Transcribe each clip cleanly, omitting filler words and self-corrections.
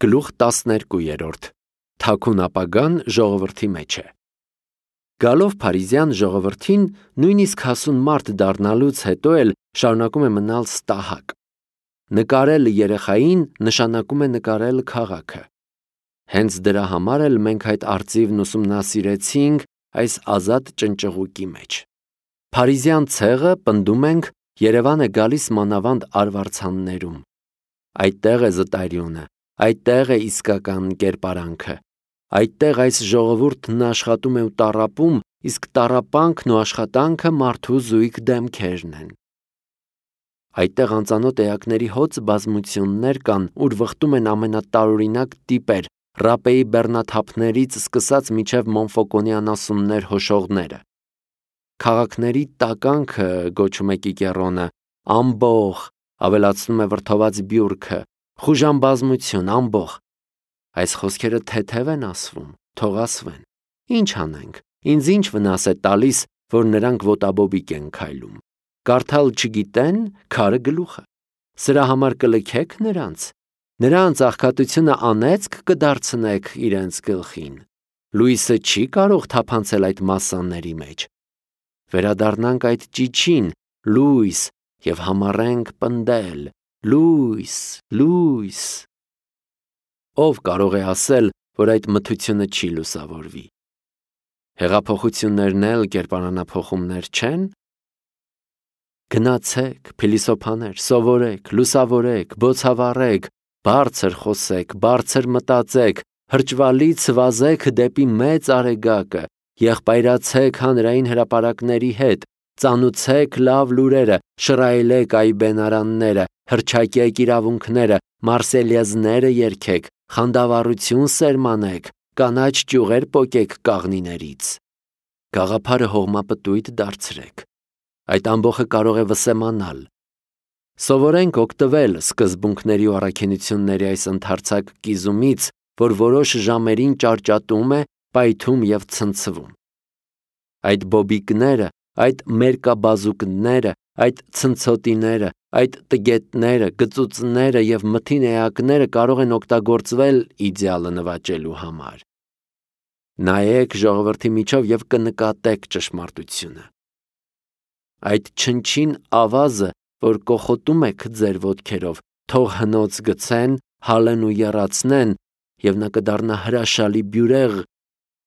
Գլուխ 12 Թաքուն ապագան ժողովրդի մեջ է։ Գալով Փարիզյան ժողովրդին, նույնիսկ հասուն մարդ դառնալուց հետո էլ շարունակում է մնալ ստահակ։ Նկարել երեխային նշանակում է նկարել քաղաքը։ Հենց դրա համար էլ մենք այդ արծիվն ուսումնասիրեցինք այս ազատ ճնճղուկի մեջ։ Փարիզյան ցեղը, պնդում ենք, Երևան է գալիս մանավանդ արվարձաններում։ Այդտեղ է զտարյունը, այդտեղ է իսկական կերպարանքը։ Այդտեղ այս ժողովուրդն աշխատում է ու տառապում, իսկ տառապանքն ու աշխատանքը մարդու զույգ դեմքերն են։ Այդտեղ անծանոթ էակների հոծ բազմություններ կան, ուր վխտում են ամենատարօրինակ տիպեր, ռապեի բեռնաթափներից սկսած մինչև Մոնֆոկոնի անասուններ հոշողները։ Քաղաքների տականքը, գոչում է Կիկեռոնը, ամբոխ, ավելացնում է վրդոված բյուրքը, խուժան բազմություն, ամբոխ։ Այս խոսքերը թեթև են ասվում, թող ասվեն։ Ինչ անենք, ինձ ինչ վնաս է տալիս, որ նրանք ոտաբոբիկ են քայլում։ Կարդալ չգիտեն, քարը գլուխը։ Սրա համար կլքեք նրանց աղքատությունը անեծք կդարձնեք իրենց գլխին։ Լույսը չի կարող թափանցել այդ մասսաների մեջ։ Վերադառնանք այդ ճիչին, լույս, և համառենք պնդել, լույս, լույս։ Ով կարող է ասել, որ այդ մթությունը չի լուսավորվի։ Հեղափոխություններն էլ կերպարանափոխումներ չեն։ Գնացեք, փիլիսոփաներ, սովորեք, լուսավորեք, բոցավառեք, բարձր խոսեք, բարձր մտածեք, հրճվալից վազեք դեպի մեծ արեգակը, եղբայրացեք հանրային հրապարակների հետ, ծանուցեք լավ լուրերը, շռայլեք այբենարանները, հռչակեք իրավունքները, մարսելյեզները երգեք, խանդավառություն սերմանեք, կանաչ ճյուղեր պոկեք կաղնիներից։ Գաղափարը հողմապտույտ դարձրեք։ Այդ ամբոխը կարող է վսեմանալ։ Սովորենք օգտվել սկզբունքների ու առաքինությունների այս ընդարձակ կիզումից, որ որոշ ժամերին ճարճատում է, պայթում և ցնցվում։ Այդ բոբիկները, այդ մերկաբազուկները, այդ ցնցոտիները, այդ տգետները, գծուծները և մթին էակները կարող են օգտագործվել իդեալը նվաճելու համար։ Նայեք ժողովրդի միջով և կնկատեք ճշմարտությունը։ Այդ չնչին ավազը, որ կոխոտում եք ձեր ոտքերով, թող հնոց գցեն, հալեն ու եռացնեն, և նա կդառնա հրաշալի բյուրեղ,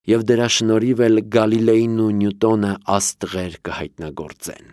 և դրա շնորհիվ էլ Գալիլեին ու Նյուտոնը աստղեր կհայտնագործեն։